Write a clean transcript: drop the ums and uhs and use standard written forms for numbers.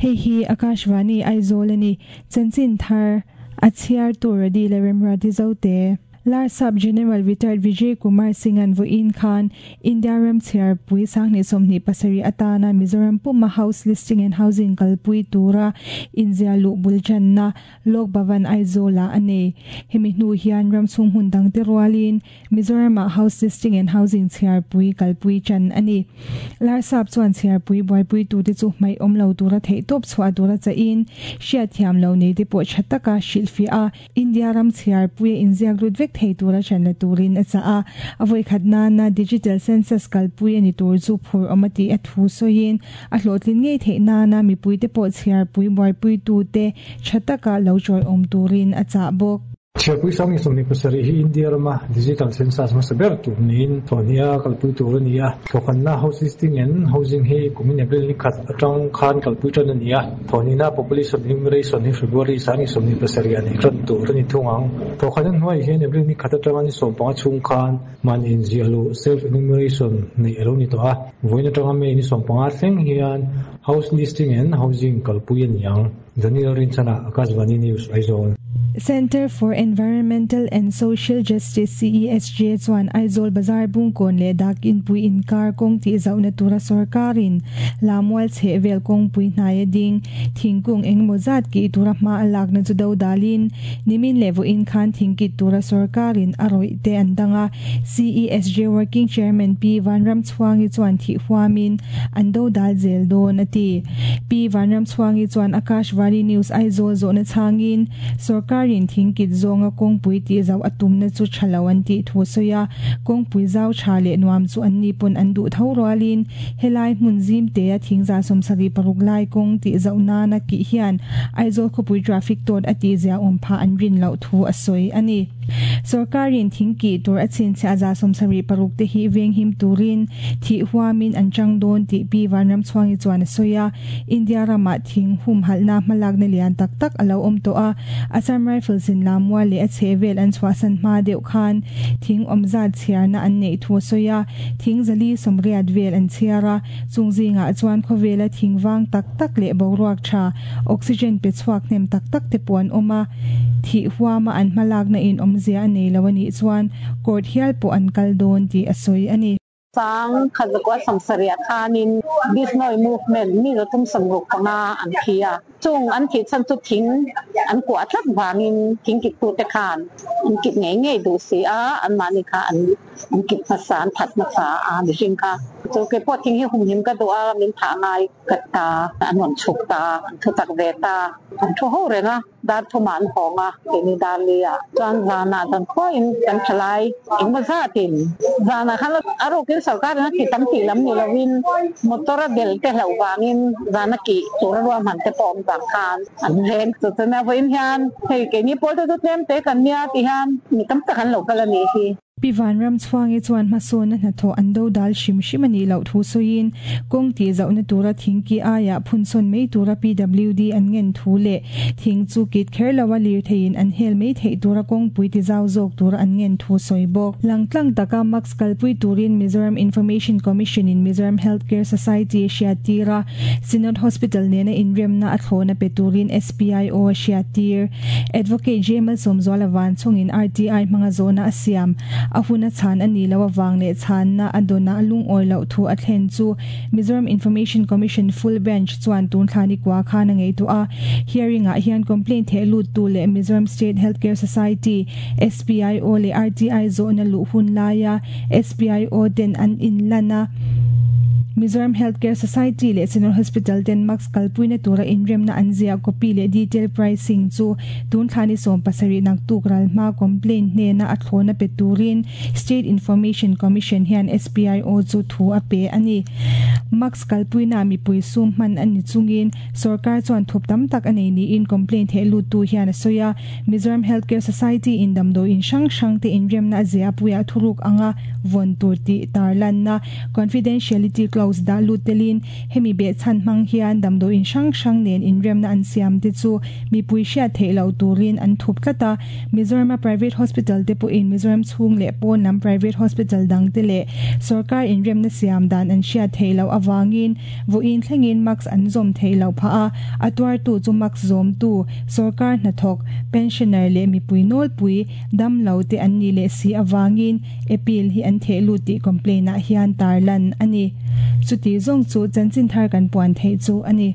Hei hi Akashvani Aizawl a ni. Chanchin thar a chhiartu Radi leh Remruati Zote. Larsap General Retired Vijay Kumar Singh-a'n vawiin khan India ram chhiarpui 2027 atana Mizoram puma House Listing and Housing kalpui tura inziah luh bul tanna Lok Bhavan Aizawl-ah a nei. Hemi hnu hian ram chhung hmun dangte rualin Mizoram-ah House Listing and Housing chhiarpui kalpui tan a ni. Larsap chuan chhiarpui buaipuitute chu hmaih awm lo tura theihtawp chhuah tura chahin hriatthiam lo neite pawh tha taka hrilhfiah a, India ram chhiarpuia inziak lut vek thei tura ṭan la turin a chah a. A vawikhat nana Digital Census kalpui a ni tur chu phur awm a tih a thu sawiin a hlawhtlin ngei theih nana mipuite pawh chhiarpui buaipuitute tha taka lo chawiawm turin a chah bawk. Chhiarpui 2027 hi India rama Digital Census hmasa ber tur niin thawhhniha kalpui tur a ni a. Thawkhanna House Listing and Housing hi kumin April ni khat atang khan kalpui tan a ni a. Thawhnihna Population Enumeration hi February 2027 ah neih tan tur a ni thung ang. Thawkhanna hnuaiah hian April ni khat atanga ni 15 chhung khan mahni inziah luh, Self Enumeration, neih a lo ni tawh a. Vawiin atanga May ni 15 thleng hian House Listing and Housing kalpui a ni ang. Daniel Rinchana, Akashvani News, Aizawl. Centre for Environmental and Social Justice, CESJ, chuan Aizawl Bazar Bungkawn leh Dak Inpui inkar kawng tih zauhna tura sorkarin Lamual chheh vel kawngpui hnaia ding thingkung engemaw zat kih tura hma a lakna chu do dalin nimin leh vawiin khan thingkit tura sorkarin a rawih te an dang a. CESJ Working Chairman Pi Vanramchhuangi chuan thih huamin an do dal zel dawn a ti. Pi Vanramchhuangi chuan Akashvani News Aizawl zawhna chhangin sorkarin thingkit zawnga kawngpui tih zauh a tumna chu tha lo an tih thu a sawi a, kawngpui zau tha leh nuam chu an ni pawn an duh tho rualin helai hmun zimtea thingza 76 lai kawng tih zauh nana kih hian Aizawl khawpui traffic tawt a tih ziaawm phah an rin loh thu a sawi a ni. Sorkarin thing kih tur a chhinchhiah 76 te hi venghim turin thih huamin an chang dawn tih Pi Vanramchhuangi chuan a sawi a. India ramah thing humhalhna hmalakna lian tak tak a lo awm tawh a, Assam Rifles in Lamua leh a chhehvel an chhuahsan hma deuh khan thing awm zat chhiarna an neih thu a sawi a, thing 480 vel an chhiar a, chung zingah chuan khawvela thing vang tak tak leh boruak tha, oxygen pe chhuak hnem tak tak te pawh an awm a, thih huama an hmalakna in awmzia a nei lo a nih chuan court hial pawh an kal dawn tih a sawi a ni. 1976 khanin Bishnoi movement mi 365 an thi a, chung an thih chhan chu thing an kuah tlat vangin thing kittute khan an kit ngei ngei duh si a, anmahni kha an an kit hmasa an that hmasa a mihring kha. Chu keipawh thing hi humhim ka duh a, min thah ngai ka ta, an rawn chhuk ta, an thu tak ve ta, an thu ho reng a. Dar thumah an hawng a, keini dar li ah chuan zanah zan khuain kan tha lai engmaw zatin zanah khan a rukin sorkar in a ti tam tih lam ni lovin motor a bel te hlauh vangin zana kih tur a ruahman te pawh awm vang khan an veng. Chu chuan a vawiin hian hei keini pawl te chu tlem te kan nia ti hian mi tam tak an lo kal a nih hi. Pi Vanramchhuangi chuan hmasawnna hnathawh an do dal hrim hrim a nih loh thu sawiin, kawng tih zauhna tura thing ki aiah phunsawn mai tura PWD an ngen thu leh thing chu kit kher loa lirtheiin an hel mai theih tura kawngpui ti zau zawk tura an ngen thu sawi bawk. Langtlang taka mask kalpui turin Mizoram Information Commission in Mizoram Health Care Society a hriattir a, Synod Hospital nena inremna a thlawhna pe turin SPIO a hriattir. Advocate J Malsawmzuala van chungin RTI hmanga zawhna a siam. A hun a chhan a nih loh avang leh chhanna a dawnah lungawi loh thu a thlen chu Mizoram Information Commission Full Bench chuan tun thla ni kua khan a ngaihtuah a. Hearing ah hian complaint theh luttu leh Mizoram State Healthcare Society, SPIO leh RTI zawhna luh hun laia SPIO ten an inlan a. Mizoram Healthcare Society leh General Hospital ten mask kalpuina tura inremna an ziah copy leh detail pricing chu tun thla ni 17 naktuk ral hma complaint hnena a thlawna pe turin State Information Commission hian SPIO chu thu a pe a ni. Mask kalpuina mipui sum hman a ni chungin sorkar chuan thup tam tak a nei niin complaint theh luttu hian a sawi a. Mizoram Healthcare Society in damdawiin hrang hrang te inremna a zia puiah thuruk anga vawn tur tih tarlanna Confidentiality Clause clause dah lut telin hemi behchhan hmang hian damdawiin hrang hrang nen inremna an siam te chu mipui hriat theih loh turin an thup tlat a. Mizorama private hospital te pawhin Mizoram chhung leh pawn lam private hospital dang te leh sorkar inremna siam dan an hriat theih loh avangin vawiin thlengin mask an zawm theih loh phah a, a tuartu chu mask zawmtu sorkar hnathawk, pensioner leh mipui nawlpui dam lo te an nih leh si avangin appeal hi an theh lut tih complaint ah hian tarlan a ni. Chuti zawng chu chanchin thar kan puan theih chu a ni.